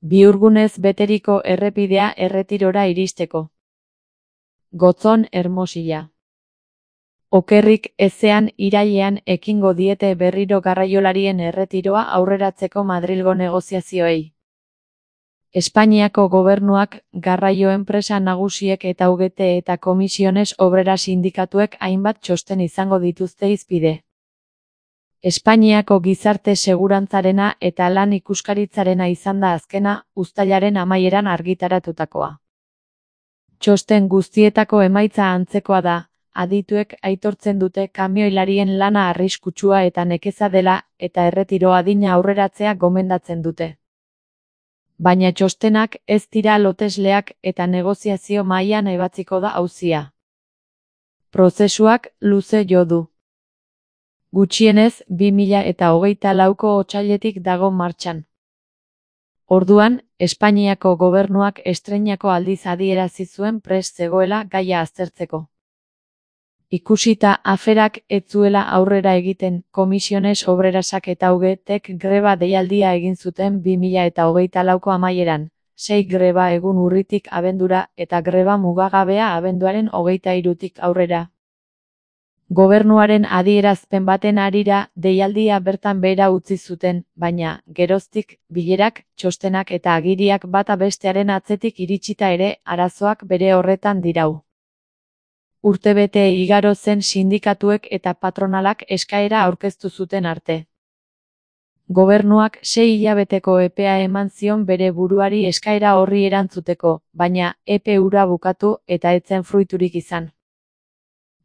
Bihurgunez beteriko errepidea erretirora iristeko. Gotzon Hermosilla. Okerrik ezean irailean ekingo diete berriro garraiolarien erretiroa aurreratzeko Madrilgo negoziazioei. Espainiako gobernuak, garraio enpresa nagusiek eta UGT eta Komisiones Obreras sindikatuek hainbat txosten izango dituzte hizpide. Espainiako gizarte segurantzarena eta lan ikuskaritzarena izan da azkena, uztailaren amaieran argitaratutakoa. Txosten guztietako emaitza antzekoa da, adituek aitortzen dute kamioilarien lana arriskutsua eta nekeza dela eta erretiro adina aurreratzea gomendatzen dute. Baina txostenak ez dira lotesleak eta negoziazio mahaian ebatziko da auzia. Prozesuak luze jo du. Gutxienez 2024ko otsailetik dago martxan. Orduan, Espainiako gobernuak estreinako aldiz adierazi zuen prest zegoela gaia aztertzeko. Ikusita aferak ez zuela aurrera egiten, Komisiones Obrerasak eta UGTek greba deialdia egin zuten 2024ko amaieran, 6 greba egun urritik abendura eta greba mugagabea abenduaren 23tik aurrera. Gobernuaren adierazpen baten harira deialdia bertan behera utzi zuten, baina, geroztik, bilerak, txostenak eta agiriak bata bestearen atzetik iritsita ere, arazoak bere horretan dirau. Urtebete igaro zen sindikatuek eta patronalak eskaera aurkeztu zuten arte. Gobernuak 6 hilabeteko epea eman zion bere buruari eskaera horri erantzuteko, baina epe hura bukatu eta ez zen fruiturik izan.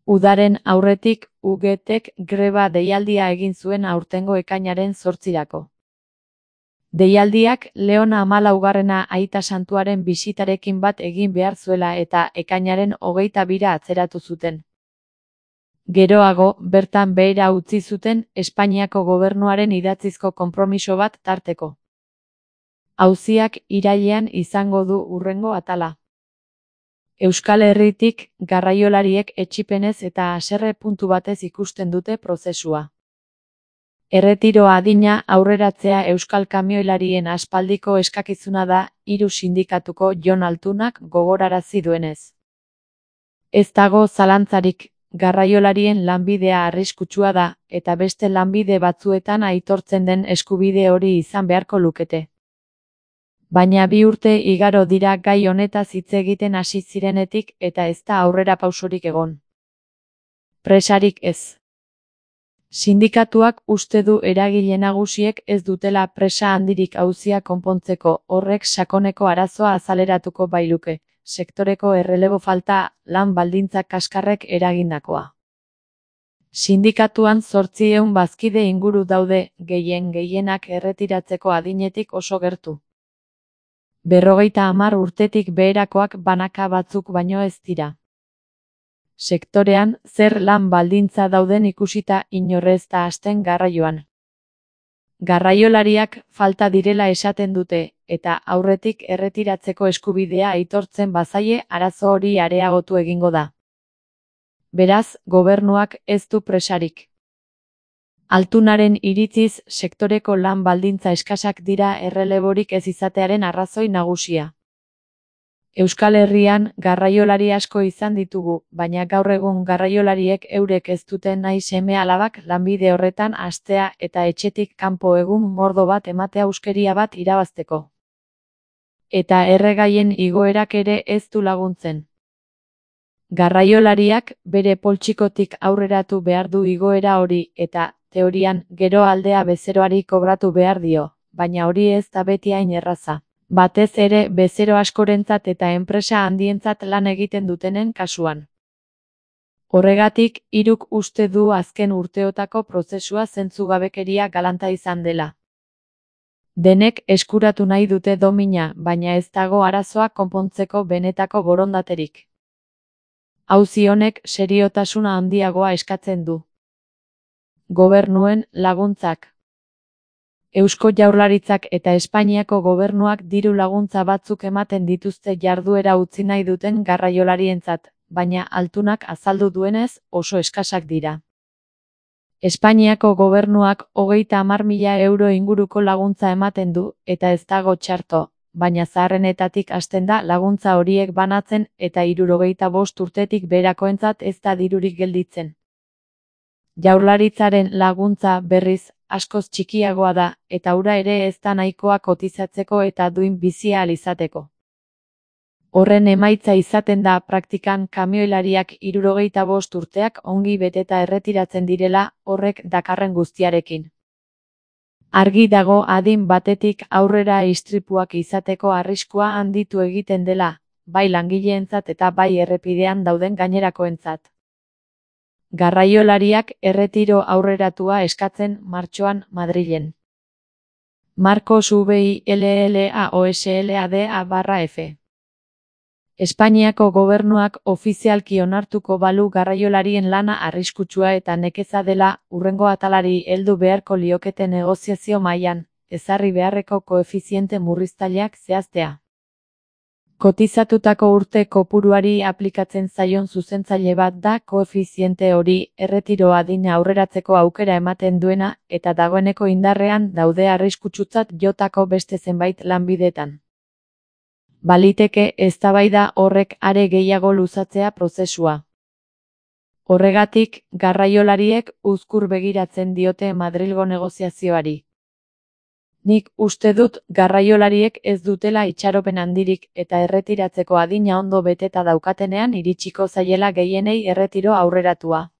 Udaren aurretik, UGTek greba deialdia egin zuen aurtengo ekainaren 8irako. Deialdiak Leon XIV Aita Santuaren bisitarekin bat egin behar zuela eta ekainaren 22 atzeratu zuten. Geroago, bertan behera utzi zuten Espainiako gobernuaren idatzizko konpromiso bat tarteko. Auziak irailean izango du hurrengo atala. Euskal Herritik, garraiolariek etsipenez eta haserre puntu batez ikusten dute prozesua. Erretiro adina aurreratzea euskal kamioilarien aspaldiko eskakizuna da, 3 sindikatuko Jon Altunak gogorarazi duenez. Ez dago zalantzarik, garraiolarien lanbidea arriskutsua da, eta beste lanbide batzuetan aitortzen den eskubide hori izan beharko lukete. Baina 2 urte igaro dira gai honetaz hitz egiten hasi zirenetik eta ez da aurrera pausorik egon. Presarik ez. Sindikatuak uste du eragile nagusiek ez dutela presa handirik auzia konpontzeko, horrek sakoneko arazoa azaleratuko bailuke, sektoreko errelebo falta, lan baldintzak kaskarrek eragindakoa. Sindikatuan 800 bazkide inguru daude, gehienak erretiratzeko adinetik oso gertu. 50 urtetik beherakoak banaka batzuk baino ez dira. Sektorean, zer lan baldintza dauden ikusita inorrez da hasten garraioan. Garraiolariak falta direla esaten dute, eta aurretik erretiratzeko eskubidea aitortzen bazaie arazo hori areagotu egingo da. Beraz, gobernuak ez du presarik. Altunaren iritziz, sektoreko lan baldintza eskasak dira erreleborik ez izatearen arrazoi nagusia. Euskal Herrian, garraiolari asko izan ditugu, baina gaur egun garraiolariek eurek ez duten nahi seme-alabak lanbide horretan hastea eta etxetik kanpo egun mordo bat ematea euskeria bat irabazteko. Eta erregaien igoerak ere ez du laguntzen. Garraiolariak bere poltsikotik aurreratu behar du igoera hori eta, teorian, gero aldea bezeroari kobratu behar dio, baina hori ez da beti hain erraza. Batez ere bezero askorentzat eta enpresa handientzat lan egiten dutenen kasuan. Horregatik, Hiruk uste du azken urteotako prozesua zentzugabekeria galanta izan dela. Denek eskuratu nahi dute domina, baina ez dago arazoa konpontzeko benetako borondaterik. Auzi honek seriotasuna handiagoa eskatzen du. Gobernuen laguntzak. Eusko Jaurlaritzak eta Espainiako gobernuak diru laguntza batzuk ematen dituzte jarduera utzi nahi duten garraiolarientzat, baina Altunak azaldu duenez oso eskasak dira. Espainiako gobernuak 30.000 euro inguruko laguntza ematen du, eta ez dago txarto, baina zaharrenetatik hasten da laguntza horiek banatzen eta 65 urtetik beherakoentzat ez da dirurik gelditzen. Jaurlaritzaren laguntza, berriz, askoz txikiagoa da, eta hura ere ez da nahikoa kotizatzeko eta duin bizi ahal izateko. Horren emaitza izaten da praktikan kamioilariak 65 urteak ongi beteta erretiratzen direla horrek dakarren guztiarekin. Argi dago adin batetik aurrera istripuak izateko arriskua handitu egiten dela, bai langileentzat eta bai errepidean dauden gainerakoentzat. Garraiolariak erretiro aurreratua eskatzen martxoan Madrilen. Marcos VILLAOSLADA/F. Espainiako gobernuak ofizialki onartuko balu garraiolarien lana arriskutsua eta nekeza dela, hurrengo atalari heldu beharko liokete negoziazio mailan, ezarri beharreko koefiziente murriztaileak zehaztea. Kotizatutako urte kopuruari aplikatzen zaion zuzentzaile bat da koefiziente hori, erretiro adina aurreratzeko aukera ematen duena eta dagoeneko indarrean daude arriskutsutzat jotako beste zenbait lanbidetan. Baliteke eztabaida horrek are gehiago luzatzea prozesua. Horregatik, garraiolariek uzkur begiratzen diote Madrilgo negoziazioari. Nik uste dut garraiolariek ez dutela itxaropen handirik eta erretiratzeko adina ondo beteta daukatenean iritsiko zaiela gehienei erretiro aurreratua.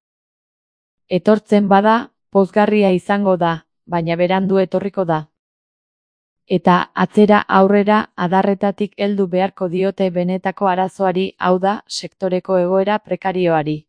Etortzen bada, pozgarria izango da, baina berandu etorriko da. Eta atzera aurrera adarretatik heldu beharko diote benetako arazoari, hau da, sektoreko egoera prekarioari.